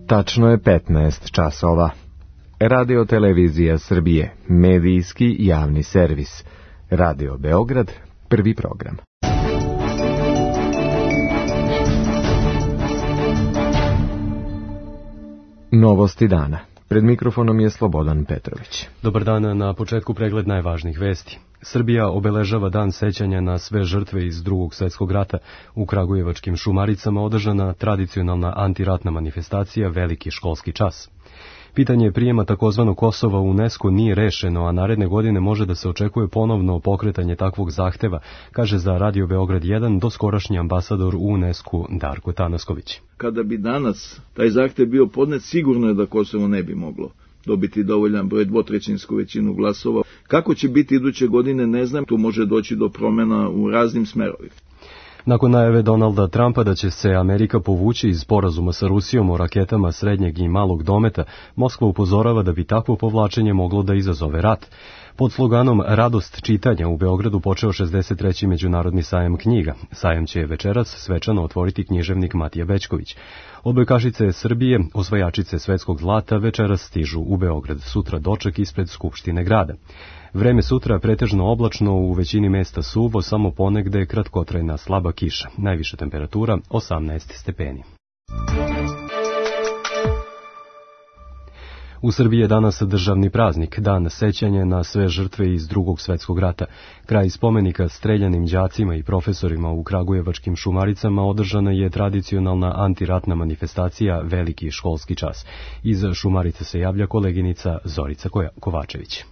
Tačno je 15 časova. Radio Televizija Srbije, medijski javni servis. Radio Beograd, prvi program. Novosti dana. Pred mikrofonom je Slobodan Petrović. Dobar dan, na početku pregled najvažnijih vesti. Srbija obeležava dan sećanja na sve žrtve iz Drugog svjetskog rata. U kragujevačkim Šumaricama održana tradicionalna antiratna manifestacija Veliki školski čas. Pitanje prijema takozvanog Kosova u UNESCO nije rešeno, a naredne godine može da se očekuje ponovno pokretanje takvog zahteva, kaže za Radio Beograd 1 doskorašnji ambasador u UNESCO Darko Tanasković. Kada bi danas taj zahtev bio podnet, sigurno je da Kosovo ne bi moglo dobiti dovoljan broj, dvotrećinsku većinu glasova. Kako će biti iduće godine, ne znam, tu može doći do promjena u raznim smerovima. Nakon najave Donalda Trumpa da će se Amerika povući iz sporazuma sa Rusijom o raketama srednjeg i malog dometa, Moskva upozorava da bi takvo povlačenje moglo da izazove rat. Pod sloganom Radost čitanja u Beogradu počeo 63. međunarodni sajam knjiga. Sajam će večeras svečano otvoriti književnik Matija Bećković. Odbojkašice Srbije, osvajačice svetskog zlata, večeras stižu u Beograd. Sutra doček ispred Skupštine grada. Vreme sutra pretežno oblačno, u većini mesta suvo, samo ponegde kratkotrajna slaba kiša. Najviša temperatura 18 stepeni. U Srbiji je danas državni praznik, dan sećanja na sve žrtve iz Drugog svjetskog rata. Kraj spomenika streljanim đacima i profesorima u kragujevačkim Šumaricama održana je tradicionalna antiratna manifestacija Veliki školski čas. Iz Šumarice se javlja koleginica Zorica Kovačević.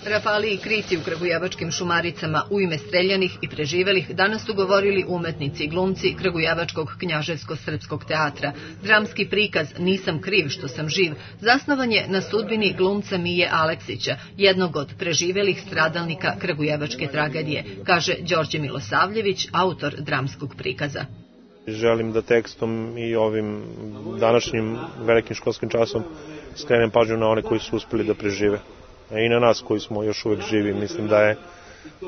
Rafali i krici u kragujevačkim Šumaricama u ime streljanih i preživelih danas su govorili umetnici i glumci Kragujevačkog knjaževsko-srpskog teatra. Dramski prikaz Nisam kriv što sam živ zasnovan je na sudbini glumca Mije Aleksića, jednog od preživelih stradalnika kragujevačke tragedije, kaže Đorđe Milosavljević, autor dramskog prikaza. Želim da tekstom i ovim današnjim velikim školskim časom skrenem pažnju na one koji su uspeli da prežive. I na nas koji smo još uvek živi. Mislim da je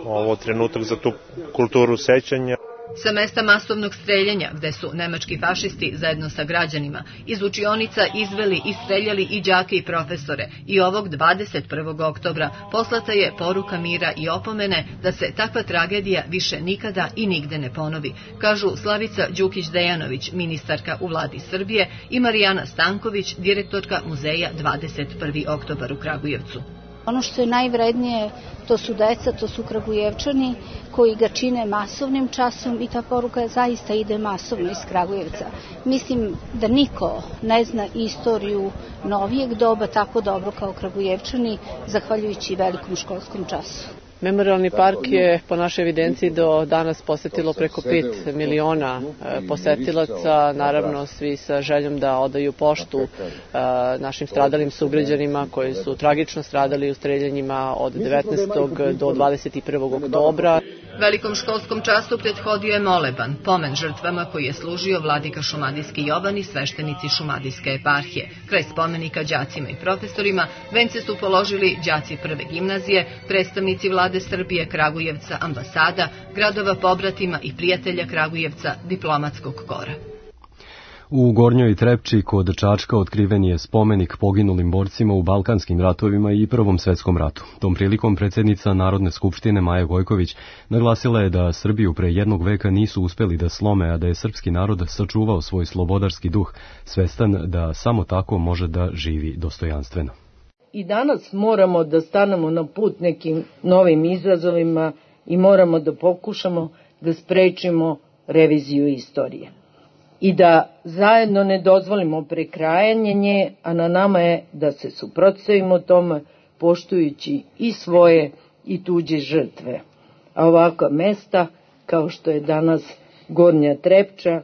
ovo trenutak za tu kulturu sećanja. Sa mesta masovnog streljanja, gde su nemački fašisti zajedno sa građanima iz učionica izveli i streljali i đake i profesore, i ovog 21. oktobra poslata je poruka mira i opomene da se takva tragedija više nikada i nigde ne ponovi, kažu Slavica Đukić-Dejanović, ministarka u vladi Srbije, i Marijana Stanković, direktorka muzeja 21. oktobar u Kragujevcu. Ono što je najvrednije, to su deca, to su Kragujevčani koji ga čine masovnim časom i ta poruka zaista ide masovno iz Kragujevca. Mislim da niko ne zna istoriju novijeg doba tako dobro kao Kragujevčani, zahvaljujući velikom školskom času. Memorialni park je po našoj evidenciji do danas posetilo preko 5 miliona posetilaca, naravno svi sa željom da odaju poštu našim stradalim sugrađanima koji su tragično stradali u streljanjima od 19. do 21. oktobra. Velikom školskom času prethodio je moleban, pomen žrtvama koji je služio vladika Šumadijski Jovan i sveštenici Šumadijske eparhije. Kraj spomenika đacima i profesorima vence su položili đaci prve gimnazije, predstavnici vlade Srbije, Kragujevca, ambasada, gradova pobratima i prijatelja Kragujevca, diplomatskog kora. U Gornjoj Trepči kod Čačka otkriven je spomenik poginulim borcima u Balkanskim ratovima i Prvom svjetskom ratu. Tom prilikom predsjednica Narodne skupštine Maja Gojković naglasila je da Srbiju pre jednog veka nisu uspeli da slome, a da je srpski narod sačuvao svoj slobodarski duh, svestan da samo tako može da živi dostojanstveno. I danas moramo da stanemo na put nekim novim izazovima i moramo da pokušamo da sprečimo reviziju istorije. I da zajedno ne dozvolimo prekrajanje nje, a na nama je da se suprotstavimo tome, poštujući i svoje i tuđe žrtve. A ovakva mesta, kao što je danas Gornja Trepča,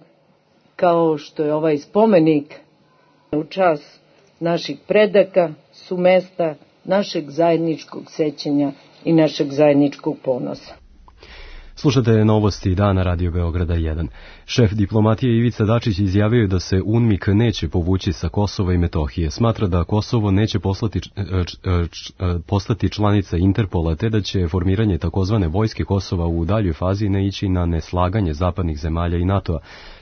kao što je ovaj spomenik u čast naših predaka, su mesta našeg zajedničkog sećanja i našeg zajedničkog ponosa. Slušate novosti dana Radio Beograda 1. Šef diplomatije Ivica Dačić izjavio je da se UNMIK neće povući sa Kosova i Metohije. Smatra da Kosovo neće postati članica Interpola, te da će formiranje takozvane vojske Kosova u daljoj fazi ne ići na neslaganje zapadnih zemalja i NATO-a.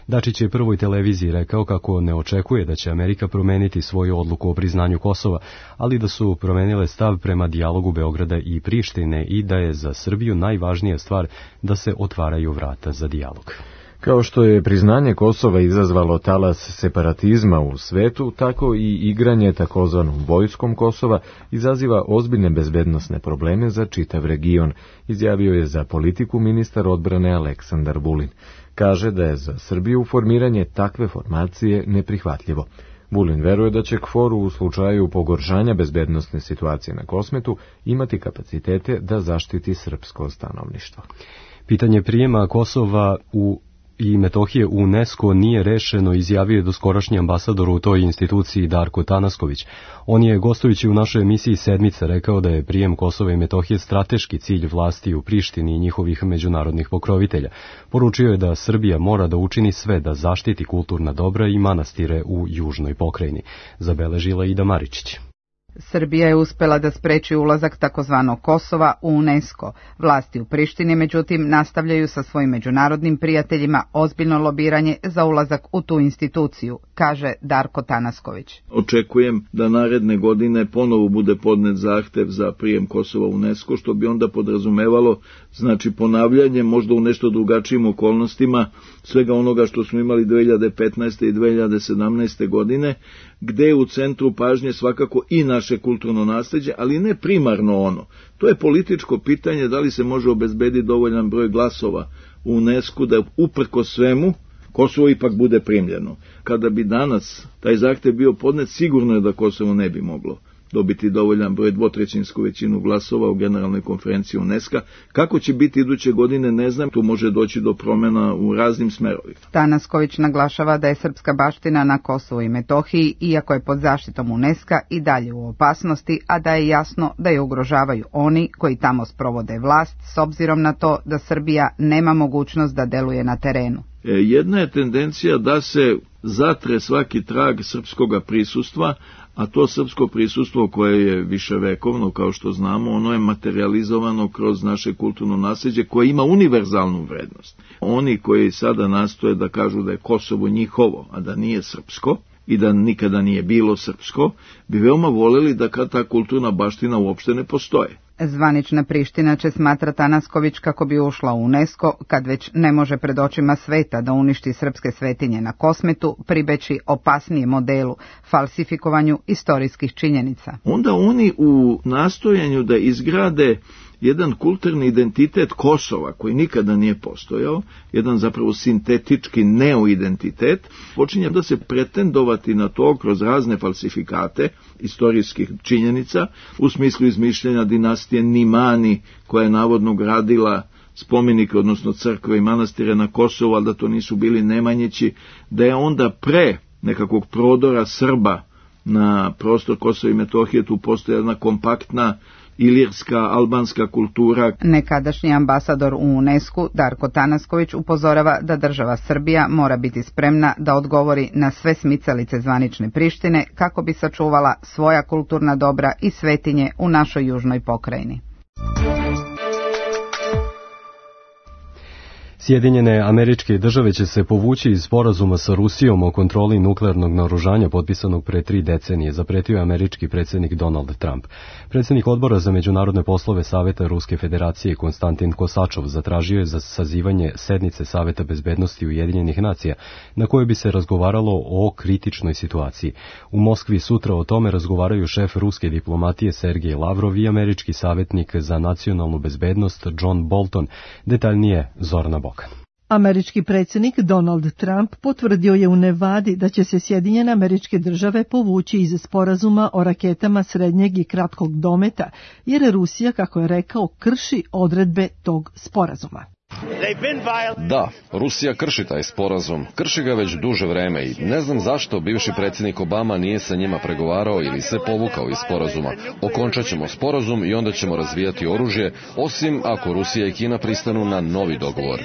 Dačić je Prvoj televiziji rekao kako ne očekuje da će Amerika promeniti svoju odluku o priznanju Kosova, ali da su promenile stav prema dijalogu Beograda i Prištine i da je za Srbiju najvažnija stvar da se otvaraju vrata za dijalog. Kao što je priznanje Kosova izazvalo talas separatizma u svetu, tako i igranje takozvanom vojskom Kosova izaziva ozbiljne bezbednosne probleme za čitav region, izjavio je za Politiku ministar odbrane Aleksandar Vulin. Kaže da je za Srbiju formiranje takve formacije neprihvatljivo. Vulin veruje da će KFOR u slučaju pogoršanja bezbednosne situacije na Kosmetu imati kapacitete da zaštiti srpsko stanovništvo. Pitanje prijema Kosova i Metohije u UNESCO nije rešeno, izjavio je doskorašnji ambasador u toj instituciji Darko Tanasković. On je, gostujući u našoj emisiji Sedmica, rekao da je prijem Kosova i Metohije strateški cilj vlasti u Prištini i njihovih međunarodnih pokrovitelja. Poručio je da Srbija mora da učini sve da zaštiti kulturna dobra i manastire u južnoj pokrajini. Zabeležila Ida Maričić. Srbija je uspela da spreči ulazak takozvanog Kosova u UNESCO. Vlasti u Prištini, međutim, nastavljaju sa svojim međunarodnim prijateljima ozbiljno lobiranje za ulazak u tu instituciju, kaže Darko Tanasković. Očekujem da naredne godine ponovo bude podnet zahtev za prijem Kosova u UNESCO, što bi onda podrazumevalo, znači, ponavljanje, možda u nešto drugačijim okolnostima, svega onoga što smo imali 2015. i 2017. godine, gde je u centru pažnje svakako i naše kulturno nasleđe, ali ne primarno ono. To je političko pitanje da li se može obezbediti dovoljan broj glasova u UNESCO da uprko svemu Kosovo ipak bude primljeno. Kada bi danas taj zahtev bio podnet, sigurno je da Kosovo ne bi moglo dobiti dovoljan broj dvotrećinsku većinu glasova u generalnoj konferenciji UNESCO. Kako će biti iduće godine, ne znam, tu može doći do promjena u raznim smerovima. Tanasković naglašava da je srpska baština na Kosovu i Metohiji, iako je pod zaštitom UNESCO, i dalje u opasnosti, a da je jasno da je ugrožavaju oni koji tamo sprovode vlast, s obzirom na to da Srbija nema mogućnost da deluje na terenu. Jedna je tendencija da se zatre svaki trag srpskoga prisustva, a to srpsko prisustvo koje je viševekovno, kao što znamo, ono je materializovano kroz naše kulturno nasleđe koje ima univerzalnu vrednost. Oni koji sada nastoje da kažu da je Kosovo njihovo, a da nije srpsko i da nikada nije bilo srpsko, bi veoma voljeli da ta kulturna baština uopšte ne postoje. Zvanična Priština će, smatra Tanasković, kako bi ušla u UNESCO, kad već ne može pred očima sveta da uništi srpske svetinje na Kosmetu, pribeći opasnijem modelu, falsifikovanju istorijskih činjenica. Onda oni u nastojanju da izgrade jedan kulturni identitet Kosova, koji nikada nije postojao, jedan zapravo sintetički neoidentitet, počinje da se pretendovati na to kroz razne falsifikate istorijskih činjenica, u smislu izmišljanja dinastije Nimani, koja je navodno gradila spomenike, odnosno crkve i manastire na Kosovu, ali da to nisu bili Nemanjići, da je onda pre nekakvog prodora Srba na prostor Kosova i Metohije tu postoji jedna kompaktna ilirska, albanska kultura. Nekadašnji ambasador u UNESCO, Darko Tanasković, upozorava da država Srbija mora biti spremna da odgovori na sve smicalice zvanične Prištine kako bi sačuvala svoja kulturna dobra i svetinje u našoj južnoj pokrajini. Sjedinjene Američke Države će se povući iz sporazuma sa Rusijom o kontroli nuklearnog naoružanja potpisanog pre 3 decenije, zapretio je američki predsjednik Donald Trump. Predsjednik Odbora za međunarodne poslove Saveta Ruske Federacije Konstantin Kosačov zatražio je za sazivanje sednice Saveta bezbednosti Ujedinjenih nacija, na kojoj bi se razgovaralo o kritičnoj situaciji. U Moskvi sutra o tome razgovaraju šef ruske diplomatije Sergej Lavrov i američki savjetnik za nacionalnu bezbednost John Bolton, detaljnije Zorana Bok. Američki predsjednik Donald Trump potvrdio je u Nevadi da će se Sjedinjene Američke Države povući iz sporazuma o raketama srednjeg i kratkog dometa, jer Rusija, kako je rekao, krši odredbe tog sporazuma. Da, Rusija krši taj sporazum, krši ga već duže vreme i ne znam zašto bivši predsjednik Obama nije sa njima pregovarao ili se povukao iz sporazuma. Okončat ćemo sporazum i onda ćemo razvijati oružje, osim ako Rusija i Kina pristanu na novi dogovor.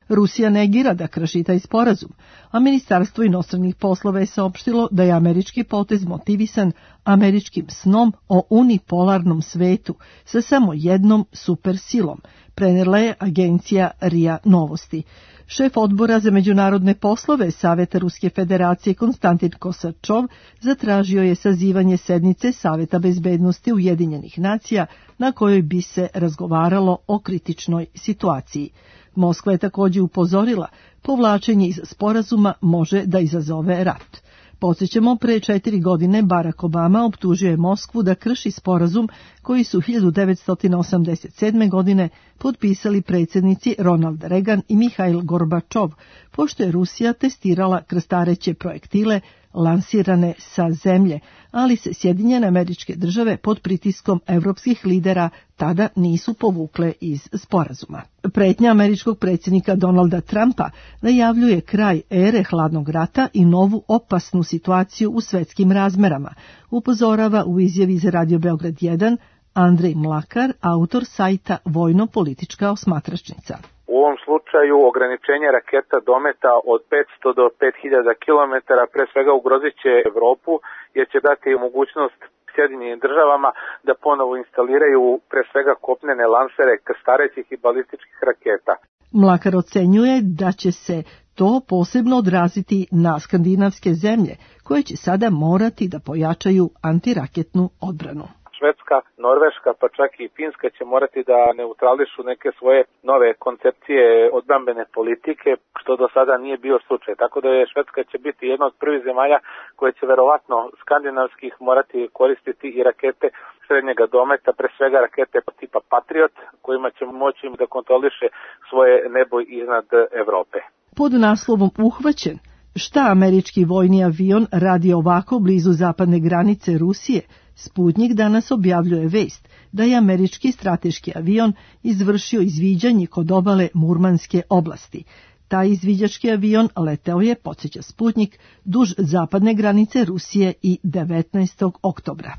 Rusija negira da krši taj sporazum, a Ministarstvo inostranih poslova je saopštilo da je američki potez motivisan američkim snom o unipolarnom svetu sa samo jednom supersilom, prenijela je agencija RIA Novosti. Šef odbora za međunarodne poslove Saveta Ruske federacije Konstantin Kosačov zatražio je sazivanje sednice Saveta bezbednosti Ujedinjenih nacija na kojoj bi se razgovaralo o kritičnoj situaciji. Moskva je također upozorila, povlačenje iz sporazuma može da izazove rat. Podsjećamo, pre 4 godine Barack Obama optužio je Moskvu da krši sporazum koji su 1987. godine potpisali predsjednici Ronald Reagan i Mihail Gorbačov, pošto je Rusija testirala krstareće projektile lansirane sa zemlje, ali se Sjedinjene Američke Države pod pritiskom evropskih lidera tada nisu povukle iz sporazuma. Pretnja američkog predsjednika Donalda Trumpa najavljuje kraj ere hladnog rata i novu opasnu situaciju u svetskim razmerama, upozorava u izjavi za Radio Beograd 1 Andrej Mlakar, autor sajta Vojno-politička osmatračnica. U ovom slučaju ograničenje raketa dometa od 500 do 5000 km pre svega ugrozit će Evropu, jer će dati mogućnost Sjedinjenim državama da ponovo instaliraju pre svega kopnene lansere krstarećih i balističkih raketa. Mlakar ocenjuje da će se to posebno odraziti na skandinavske zemlje, koje će sada morati da pojačaju antiraketnu odbranu. Švedska, Norveška, pa čak i Finska će morati da neutrališu neke svoje nove koncepcije odbrambene politike, što do sada nije bio slučaj. Tako da je Švedska će biti jedna od prvih zemalja koje će verovatno skandinavskih morati koristiti i rakete srednjega dometa, pre svega rakete tipa Patriot, kojima će moći da kontroliše svoje nebo iznad Evrope. Pod naslovom Uhvaćen, šta američki vojni avion radi ovako blizu zapadne granice Rusije, Sputnik danas objavljuje vest da je američki strateški avion izvršio izviđanje kod obale Murmanske oblasti. Taj izviđački avion leteo je, podsjeća Sputnik, duž zapadne granice Rusije i 19. oktobra.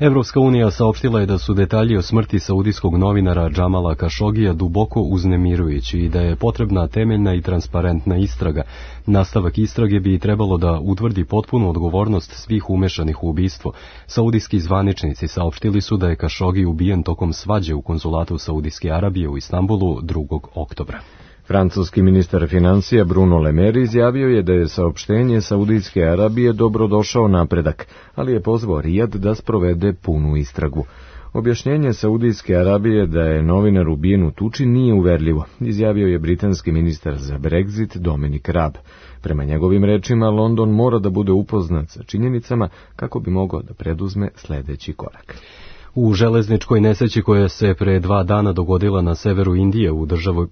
Evropska unija saopštila je da su detalji o smrti saudijskog novinara Džamala Kašogija duboko uznemirujući i da je potrebna temeljna i transparentna istraga. Nastavak istrage bi trebalo da utvrdi potpunu odgovornost svih umešanih u ubistvo. Saudijski zvaničnici saopštili su da je Kašogi ubijen tokom svađe u konzulatu Saudijske Arabije u Istanbulu 2. oktobra. Francuski ministar financija Bruno Le Maire izjavio je da je saopštenje Saudijske Arabije dobrodošao napredak, ali je pozvao Rijad da sprovede punu istragu. Objašnjenje Saudijske Arabije da je novinar ubijen u tuči nije uverljivo, izjavio je britanski ministar za Brexit Dominic Raab. Prema njegovim rečima, London mora da bude upoznat sa činjenicama kako bi mogao da preduzme sledeći korak. U železničkoj nesreći koja se pre 2 dana dogodila na severu Indije u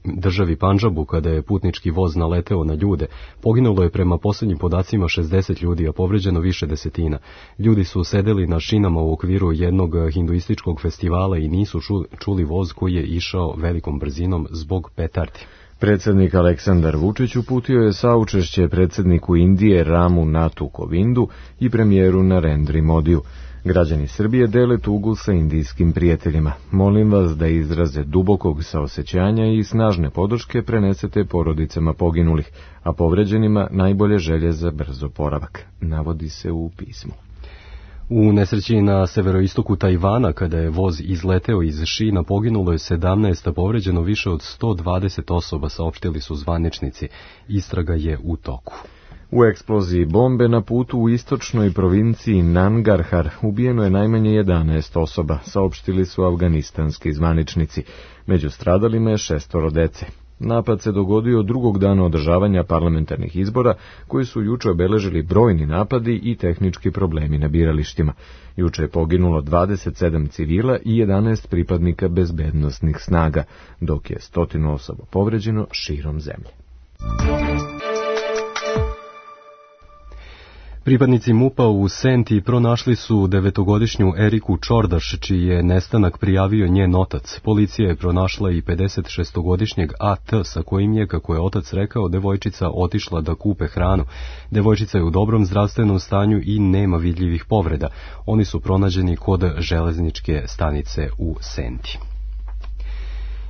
državi Pandžabu kada je putnički voz naleteo na ljude, poginulo je prema posljednjim podacima 60 ljudi, a povređeno više desetina. Ljudi su sedeli na šinama u okviru jednog hinduističkog festivala i nisu čuli voz koji je išao velikom brzinom zbog petardi. Predsjednik Aleksandar Vučić uputio je saučešće predsjedniku Indije Ramu Nathu Kovindu i premijeru Narendri Modiju. Građani Srbije dele tugu sa indijskim prijateljima. Molim vas da izraze dubokog saosećanja i snažne podrške prenesete porodicama poginulih, a povređenima najbolje želje za brz oporavak, navodi se u pismu. U nesreći na severoistoku Tajvana, kada je voz izleteo iz šina, poginulo je 17, a povređeno više od 120 osoba, saopštili su zvaničnici. Istraga je u toku. U eksploziji bombe na putu u istočnoj provinciji Nangarhar ubijeno je najmanje 11 osoba, saopštili su afganistanski zvaničnici. Među stradalima je 6 dece. Napad se dogodio drugog dana održavanja parlamentarnih izbora, koji su juče obeležili brojni napadi i tehnički problemi na biralištima. Juče je poginulo 27 civila i 11 pripadnika bezbednosnih snaga, dok je 100 osoba povređeno širom zemlje. Pripadnici MUP-a u Senti pronašli su 9-godišnju Eriku Čordaš, čiji je nestanak prijavio njen otac. Policija je pronašla i 56-godišnjeg AT, sa kojim je, kako je otac rekao, devojčica otišla da kupe hranu. Devojčica je u dobrom zdravstvenom stanju i nema vidljivih povreda. Oni su pronađeni kod železničke stanice u Senti.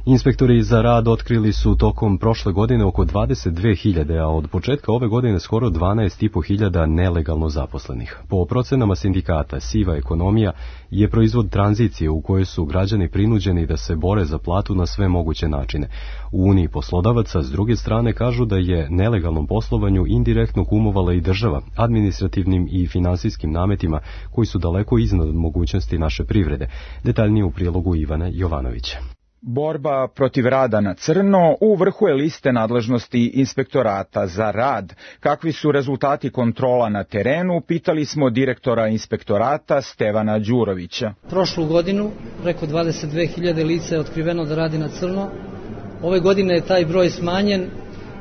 Inspektori za rad otkrili su tokom prošle godine oko 22.000, a od početka ove godine skoro 12.500 nelegalno zaposlenih. Po procenama sindikata, siva ekonomija je proizvod tranzicije u kojoj su građani prinuđeni da se bore za platu na sve moguće načine. U Uniji poslodavaca s druge strane kažu da je nelegalnom poslovanju indirektno kumovala i država, administrativnim i finansijskim nametima koji su daleko iznad mogućnosti naše privrede. Detaljnije u prilogu Ivana Jovanovića. Borba protiv rada na crno u vrhu je liste nadležnosti Inspektorata za rad. Kakvi su rezultati kontrola na terenu, pitali smo direktora Inspektorata Stevana Đurovića. Prošlu godinu preko 22.000 lica je otkriveno da radi na crno. Ove godine je taj broj smanjen,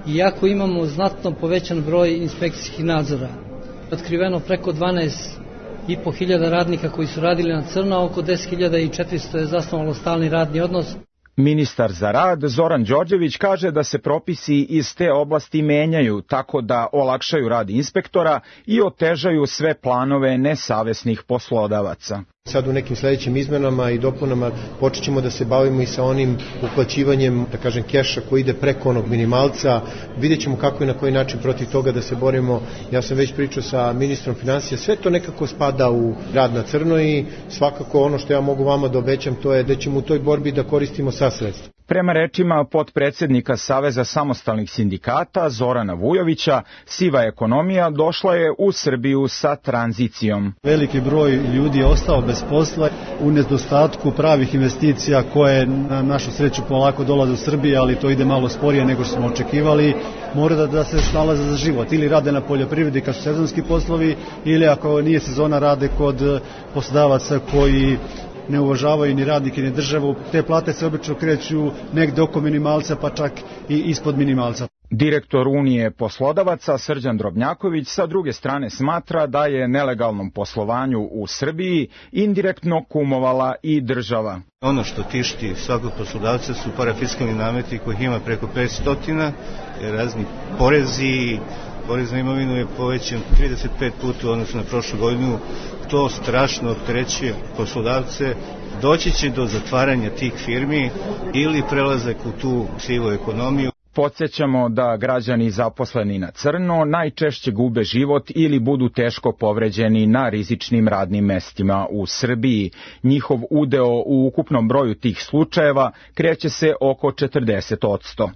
iako imamo znatno povećan broj inspekcijskih nadzora. Otkriveno preko 12.500 radnika koji su radili na crno, oko 10.400 je zasnovalo stalni radni odnos. Ministar za rad Zoran Đorđević kaže da se propisi iz te oblasti menjaju tako da olakšaju rad inspektora i otežaju sve planove nesavesnih poslodavaca. Sad u nekim sledećim izmenama i dopunama počet ćemo da se bavimo i sa onim uplaćivanjem, da kažem, keša koji ide preko onog minimalca. Vidjet ćemo kako i na koji način protiv toga da se borimo. Ja sam već pričao sa ministrom finansija, sve to nekako spada u rad na crno i svakako ono što ja mogu vama da obećam to je da ćemo u toj borbi da koristimo sva sredstva. Prema rečima potpredsednika Saveza samostalnih sindikata Zorana Vujovića, siva ekonomija došla je u Srbiju sa tranzicijom. Veliki broj ljudi je ostao bez posla u nedostatku pravih investicija koje na našu sreću polako dolaze u Srbiji, ali to ide malo sporije nego što smo očekivali. Mora da se snalaze za život. Ili rade na poljoprivredi kad su sezonski poslovi, ili ako nije sezona rade kod poslodavaca koji ne uvažavaju ni radnike ni državu. Te plate se obično kreću negde oko minimalca, pa čak i ispod minimalca. Direktor Unije poslodavaca Srđan Drobnjaković sa druge strane smatra da je nelegalnom poslovanju u Srbiji indirektno kumovala i država. Ono što tišti svakog poslodavca su parafiskalni nameti kojih ima preko 500, razni porezi. Porez na imovinu je povećan 35 puta u odnosu na prošlu godinu. To strašno opterećuje poslodavce. Doći će do zatvaranja tih firmi ili prelazak u tu sivu ekonomiju. Podsjećamo da građani zaposleni na crno najčešće gube život ili budu teško povređeni na rizičnim radnim mestima u Srbiji. Njihov udeo u ukupnom broju tih slučajeva kreće se oko 40%.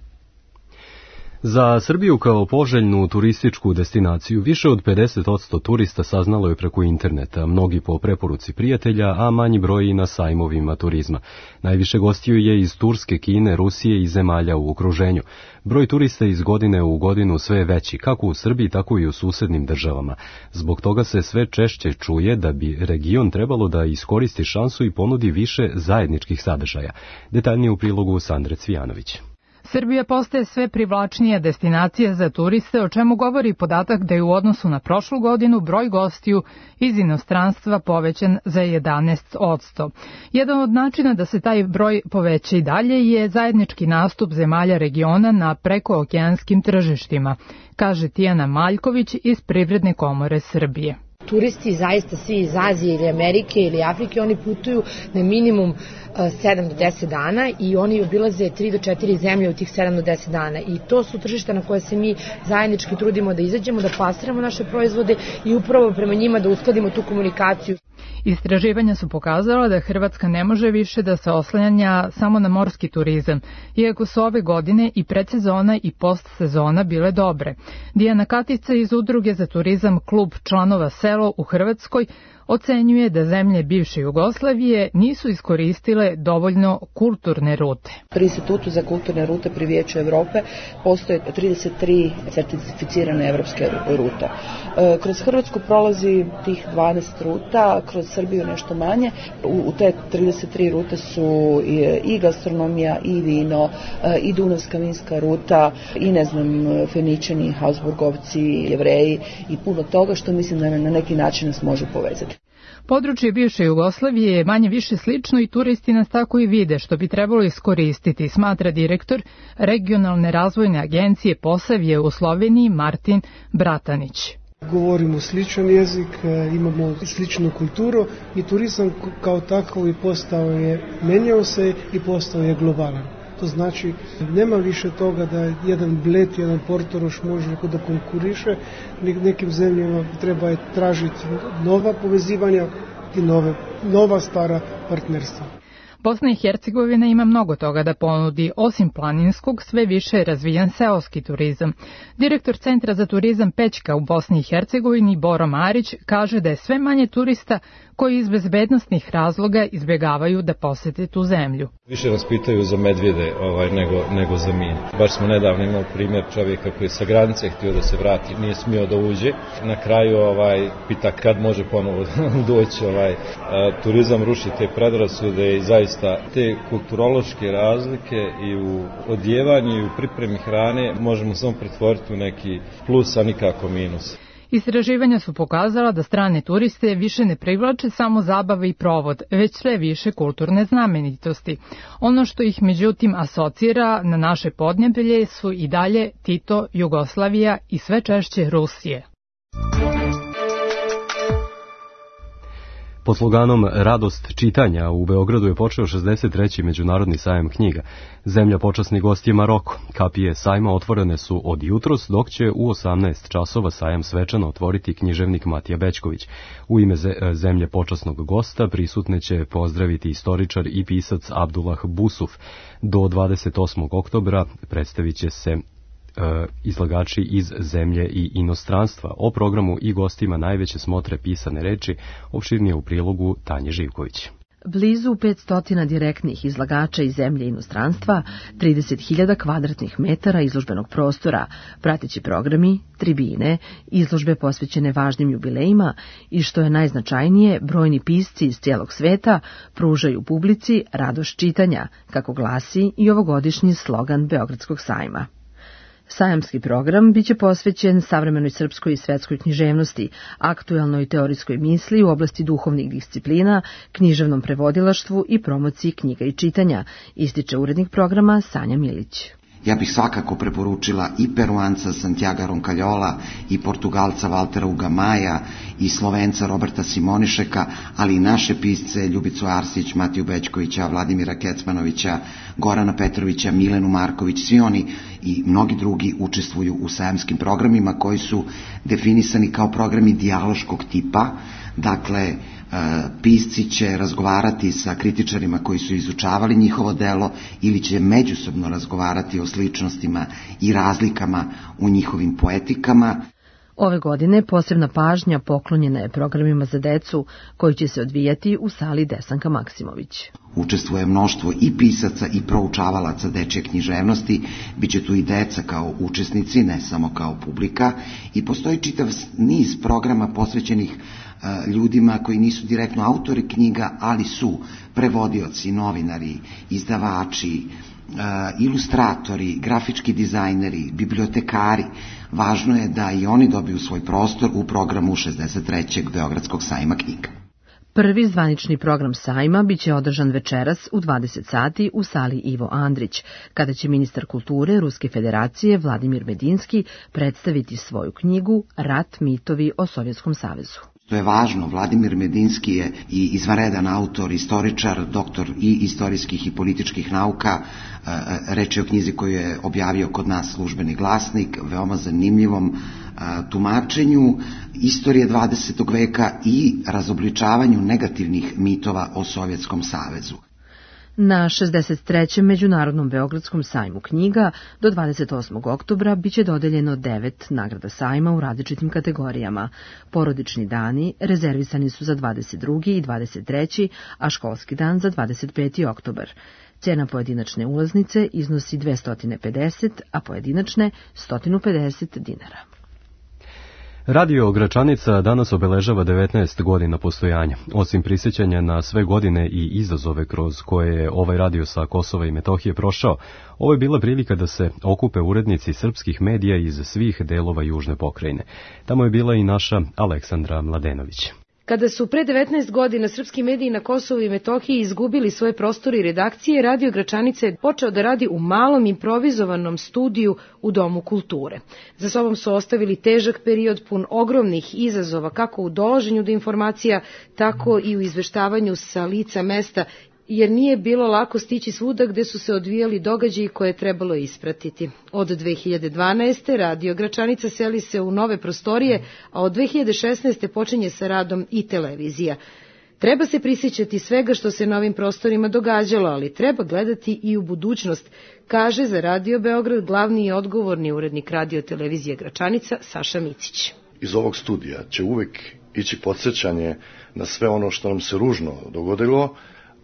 Za Srbiju kao poželjnu turističku destinaciju više od 50% turista saznalo je preko interneta, mnogi po preporuci prijatelja, a manji broj i na sajmovima turizma. Najviše gostiju je iz Turske, Kine, Rusije i zemalja u okruženju. Broj turista iz godine u godinu sve je veći, kako u Srbiji, tako i u susednim državama. Zbog toga se sve češće čuje da bi region trebalo da iskoristi šansu i ponudi više zajedničkih sadržaja. Detaljnije u prilogu Sandre Cvijanović. Srbija postaje sve privlačnija destinacija za turiste, o čemu govori podatak da je u odnosu na prošlu godinu broj gostiju iz inostranstva povećan za 11%. Jedan od načina da se taj broj poveća i dalje je zajednički nastup zemalja regiona na prekookeanskim tržištima, kaže Tijana Maljković iz Privredne komore Srbije. Turisti zaista svi iz Azije ili Amerike ili Afrike, oni putuju na minimum 7 do 10 dana i oni obilaze 3 do 4 zemlje u tih 7 do 10 dana i to su tržišta na koje se mi zajednički trudimo da izađemo, da plasiramo naše proizvode i upravo prema njima da uskladimo tu komunikaciju. Istraživanja su pokazala da Hrvatska ne može više da se oslanja samo na morski turizam, iako su ove godine i predsezona i postsezona bile dobre. Dijana Katica iz Udruge za turizam Klub članova Selo u Hrvatskoj ocenjuje da zemlje bivše Jugoslavije nisu iskoristile dovoljno kulturne rute. Pri Institutu za kulturne rute pri Vijeću Evrope postoje 33 certificirane evropske rute. Kroz Hrvatsku prolazi tih 20 ruta, kroz Srbiju nešto manje. U te 33 rute su i gastronomija, i vino, i Dunavska vinska ruta, i Feničani, Habsburgovci, Jevreji i puno toga što mislim da na neki način nas može povezati. Područje bivše Jugoslavije je manje više slično i turisti nas tako i vide, što bi trebalo iskoristiti, smatra direktor Regionalne razvojne agencije Posavje u Sloveniji Martin Bratanić. Govorimo sličan jezik, imamo sličnu kulturu i turizam kao takav i menjao se i postao je globalan. To znači, nema više toga da jedan Bled, jedan Portoroš može da konkuriše. Nekim zemljama treba tražiti nova povezivanja i nova stara partnerstva. Bosna i Hercegovina ima mnogo toga da ponudi, osim planinskog, sve više je razvijan seoski turizam. Direktor Centra za turizam Pećka u Bosni i Hercegovini, Boro Marić, kaže da je sve manje turista koji iz bezbednosnih razloga izbjegavaju da posete tu zemlju. Više nas pitaju za medvjede nego za mine. Baš smo nedavno imali primjer čovjeka koji je sa granice htio da se vrati, nije smio da uđe. Na kraju pita kad može ponovo doći. Turizam ruši te predrasude i zaista te kulturološke razlike i u odjevanju i u pripremi hrane možemo samo pretvoriti u neki plus, a nikako minus. Istraživanja su pokazala da strane turiste više ne privlače samo zabave i provod, već sve više kulturne znamenitosti. Ono što ih međutim asocira na naše podneblje su i dalje Tito, Jugoslavija i sve češće Rusije. Pod sloganom Radost čitanja u Beogradu je počeo 63. Međunarodni sajam knjiga. Zemlja počasni gost je Maroko. Kapije sajma otvorene su od jutros, dok će u 18 časova sajam svečano otvoriti književnik Matija Bećković. U ime zemlje počasnog gosta prisutne će pozdraviti istoričar i pisac Abdullah Busuf. Do 28. oktobra predstavit će se izlagači iz zemlje i inostranstva. O programu i gostima najveće smotre pisane reči opširnije u prilogu Tanje Živković. Blizu 500 direktnih izlagača iz zemlje i inostranstva, 30.000 kvadratnih metara izložbenog prostora, prateći programi, tribine, izložbe posvećene važnim jubilejima i, što je najznačajnije, brojni pisci iz cijelog sveta pružaju publici radost čitanja, kako glasi i ovogodišnji slogan Beogradskog sajma. Sajamski program biće posvećen savremenoj srpskoj i svetskoj književnosti, aktuelnoj teorijskoj misli u oblasti duhovnih disciplina, književnom prevodilaštvu i promociji knjiga i čitanja, ističe urednik programa Sanja Milić. Ja bih svakako preporučila i Peruanca Santiaga Roncagliola i Portugalca Valtera Ugamaja i Slovenca Roberta Simonišeka, ali i naše pisce Ljubicu Arsić, Matiju Bećkovića, Vladimira Kecmanovića, Gorana Petrovića, Milenu Marković. Svi oni i mnogi drugi učestvuju u sajamskim programima koji su definisani kao programi dijaloškog tipa. Dakle, pisci će razgovarati sa kritičarima koji su izučavali njihovo delo ili će međusobno razgovarati o sličnostima i razlikama u njihovim poetikama. Ove godine posebna pažnja poklonjena je programima za decu koji će se odvijati u sali Desanka Maksimović. Učestvuje mnoštvo i pisaca i proučavalaca dečje književnosti, biće tu i deca kao učesnici, ne samo kao publika, i postoji čitav niz programa posvećenih ljudima koji nisu direktno autori knjiga, ali su prevodioci, novinari, izdavači, ilustratori, grafički dizajneri, bibliotekari. Važno je da i oni dobiju svoj prostor u programu 63. Beogradskog sajma knjiga. Prvi zvanični program sajma biće održan večeras u 20 sati u sali Ivo Andrić, kada će ministar kulture Ruske federacije Vladimir Medinski predstaviti svoju knjigu Rat, mitovi o Sovjetskom savezu. To je važno, Vladimir Medinski je i izvanredan autor, istoričar, doktor i istorijskih i političkih nauka. Reč je o knjizi koju je objavio kod nas Službeni glasnik, veoma zanimljivom tumačenju istorije 20. veka i razobličavanju negativnih mitova o Sovjetskom savezu. Na 63. Međunarodnom Beogradskom sajmu knjiga do 28. oktobra biće dodeljeno 9 nagrada sajma u različitim kategorijama. Porodični dani rezervisani su za 22. i 23., a školski dan za 25. oktobar. Cena pojedinačne ulaznice iznosi 250, a pojedinačne 150 dinara. Radio Gračanica danas obeležava 19 godina postojanja. Osim prisjećanja na sve godine i izazove kroz koje je ovaj radio sa Kosova i Metohije prošao, ovo je bila prilika da se okupe urednici srpskih medija iz svih delova južne pokrajine. Tamo je bila i naša Aleksandra Mladenović. Kada su pre 19 godina srpski mediji na Kosovu i Metohiji izgubili svoje prostore i redakcije, Radio Gračanica je počeo da radi u malom improvizovanom studiju u Domu kulture. Za sobom su ostavili težak period pun ogromnih izazova kako u dolaženju do informacija, tako i u izveštavanju sa lica mesta jer nije bilo lako stići svuda gde su se odvijali događaji koje je trebalo ispratiti. Od 2012. Radio Gračanica seli se u nove prostorije, a od 2016. počinje sa radom i televizija. Treba se prisjećati svega što se na ovim prostorima događalo, ali treba gledati i u budućnost, kaže za Radio Beograd glavni i odgovorni urednik Radio televizije Gračanica Saša Micić. Iz ovog studija će uvek ići podsjećanje na sve ono što nam se ružno dogodilo,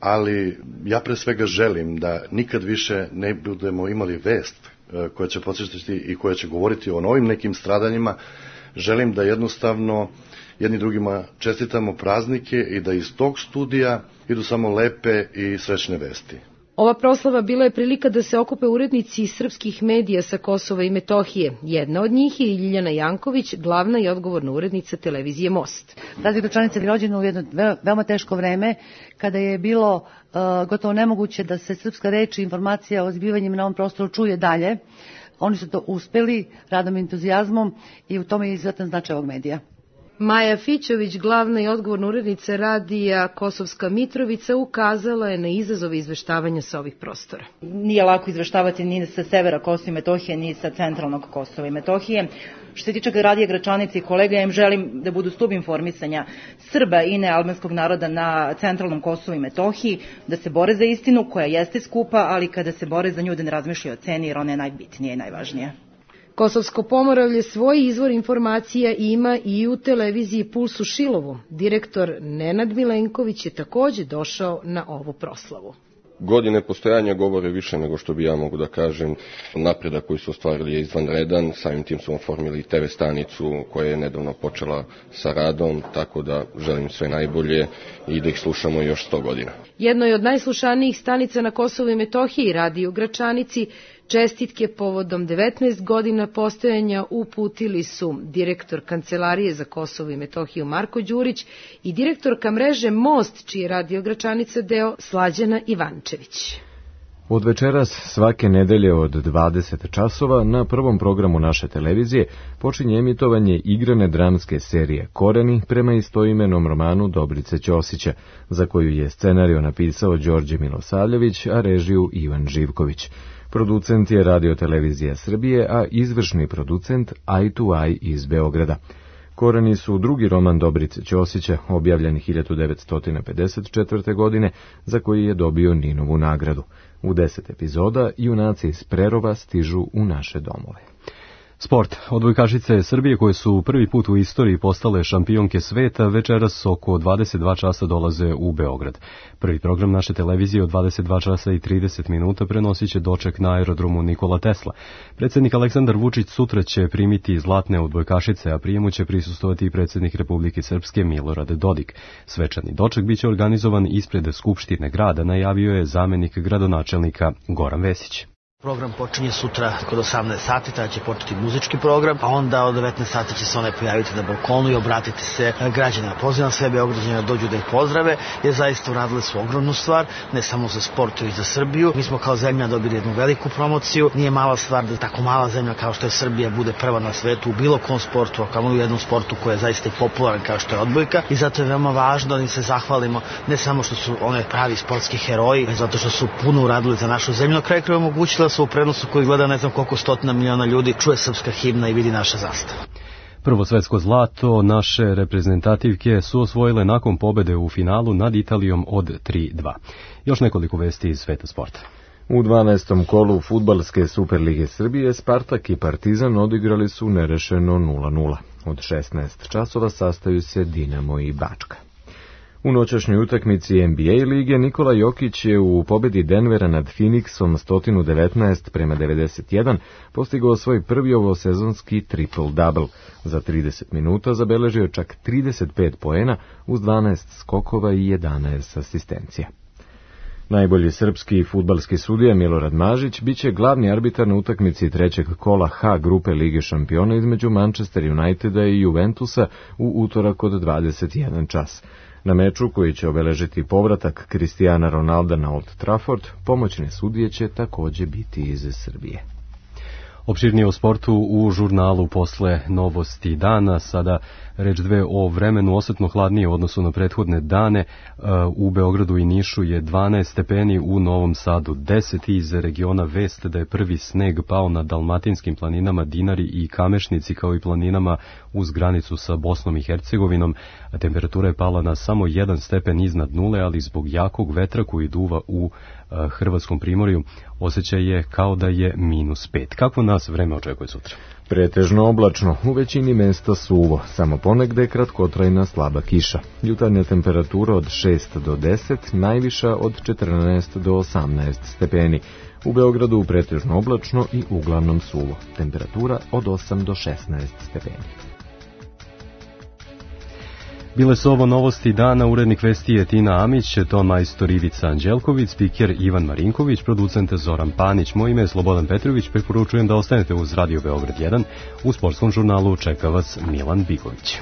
ali ja pre svega želim da nikad više ne budemo imali vest koja će podsjećati i koja će govoriti o novim nekim stradanjima. Želim da jednostavno jedni drugima čestitamo praznike i da iz tog studija idu samo lepe i srećne vesti. Ova proslava bila je prilika da se okupe urednici srpskih medija sa Kosova i Metohije. Jedna od njih je i Ljiljana Janković, glavna i odgovorna urednica televizije Most. Radio Gračanica je rođena u jedno veoma teško vreme, kada je bilo gotovo nemoguće da se srpska reč i informacija o zbivanjima na ovom prostoru čuje dalje. Oni su to uspeli radom i entuzijazmom i u tome je izuzetan značaj ovog medija. Maja Fićović, glavna i odgovorna urednica radija Kosovska Mitrovica, ukazala je na izazove izveštavanja sa ovih prostora. Nije lako izveštavati ni sa severa Kosova i Metohije, ni sa centralnog Kosova i Metohije. Što se tiče radija Gračanice i kolega, ja im želim da budu stub informisanja Srba i nealbanskog naroda na centralnom Kosovu i Metohiji, da se bore za istinu koja jeste skupa, ali kada se bore za nju da ne razmišljaju o ceni, jer ona je najbitnija i najvažnija. Kosovsko Pomoravlje svoj izvor informacija ima i u televiziji Puls u Šilovu. Direktor Nenad Milenković je takođe došao na ovu proslavu. Godine postojanja govore više nego što bi ja mogu da kažem. Napredak koji su ostvarili je izvanredan, samim tim su oformili TV stanicu koja je nedavno počela sa radom, tako da želim sve najbolje i da ih slušamo još 100 godina. Jedno je od najslušanijih stanica na Kosovu i Metohiji, Radio Gračanici, čestitke povodom 19 godina postojanja uputili su direktor Kancelarije za Kosovo i Metohiju Marko Đurić i direktorka mreže Most, čiji je Radio Gračanica deo, Slađana Ivančević. Od večeras svake nedelje od 20 časova na prvom programu naše televizije počinje emitovanje igrane dramske serije Koreni prema istoimenom romanu Dobrice Ćosića, za koju je scenariju napisao Đorđe Milosavljević, a režiju Ivan Živković. Producent je Radio televizija Srbije, a izvršni producent Eye to Eye iz Beograda. Koreni su drugi roman Dobrice Ćosića, objavljen 1954. godine, za koji je dobio Ninovu nagradu. U 10 epizoda junaci iz Prerova stižu u naše domove. Sport. Odbojkašice Srbije, koje su prvi put u istoriji postale šampionke sveta, večeras oko 22 časa dolaze u Beograd. Prvi program naše televizije od 22 časa i 30 minuta prenosit će doček na aerodromu Nikola Tesla. Predsjednik Aleksandar Vučić sutra će primiti zlatne odbojkašice, a prijemu će prisustovati i predsjednik Republike Srpske Milorad Dodik. Svečani doček biće organizovan ispred Skupštine grada, najavio je zamenik gradonačelnika Goran Vesić. Program počinje sutra kod 18 sati, tada će početi muzički program, a onda od 19 sati će se one pojaviti na balkonu i obratiti se građanima. Pozivam sve Beograđane da dođu da ih pozdrave, jer zaista uradili su ogromnu stvar, ne samo za sport, i za Srbiju. Mi smo kao zemlja dobili jednu veliku promociju. Nije mala stvar da tako mala zemlja kao što je Srbija bude prva na svetu u bilo kom sportu, a kao u jednom sportu koji je zaista i popularan kao što je odbojka. I zato je veoma važno da im se zahvalimo, ne samo što su one pravi sportski heroji, već zato što su puno uradili za našu zemlju. Na kraju krajeva omogućila su u prenosu koji gleda ne znam koliko stotina miliona ljudi, čuje srpska himna i vidi naša zastava. Prvo svetsko zlato naše reprezentativke su osvojile nakon pobede u finalu nad Italijom od 3-2. Još nekoliko vesti iz sveta sporta. U 12. kolu fudbalske Superlige Srbije Spartak i Partizan odigrali su nerešeno 0-0. Od 16 časova sastaju se Dinamo i Bačka. U noćašnjoj utakmici NBA lige Nikola Jokić je u pobedi Denvera nad Phoenixom 119-91 postigao svoj prvi ovosezonski triple-double. Za 30 minuta zabeležio čak 35 poena uz 12 skokova i 11 asistencija. Najbolji srpski fudbalski sudija Milorad Mažić biće glavni arbitar na utakmici trećeg kola H grupe Lige šampiona između Manchester Uniteda i Juventusa u utorak od 21 čas. Na meču koji će obeležiti povratak Cristiana Ronalda na Old Trafford, pomoćne sudije će takođe biti iz Srbije. Opširnije o sportu u žurnalu posle novosti dana. Sada reč dve o vremenu, osetno hladnije u odnosu na prethodne dane. U Beogradu i Nišu je 12 stepeni, u Novom Sadu 10. Iz regiona vest da je prvi sneg pao na dalmatinskim planinama Dinari i Kamešnici, kao i planinama uz granicu sa Bosnom i Hercegovinom. Temperatura je pala na samo 1 stepen iznad nule, ali zbog jakog vetra koji duva u Hrvatskom primorju osjećaj je kao da je -5. Kako nas vreme očekuje sutra? Pretežno oblačno, u većini mesta suvo, samo ponegde kratkotrajna slaba kiša. Jutarnja temperatura od 6 do 10, najviša od 14 do 18 stepeni. U Beogradu pretežno oblačno i uglavnom suvo. Temperatura od 8 do 16 stepeni. Bile su ovo novosti dana, urednik vesti je Tina Amić, ton majstor Ivica Anđelković, spiker Ivan Marinković, producent Zoran Panić. Moje ime je Slobodan Petrović, preporučujem da ostanete uz Radio Beograd 1. U sportskom žurnalu čeka vas Milan Bigović.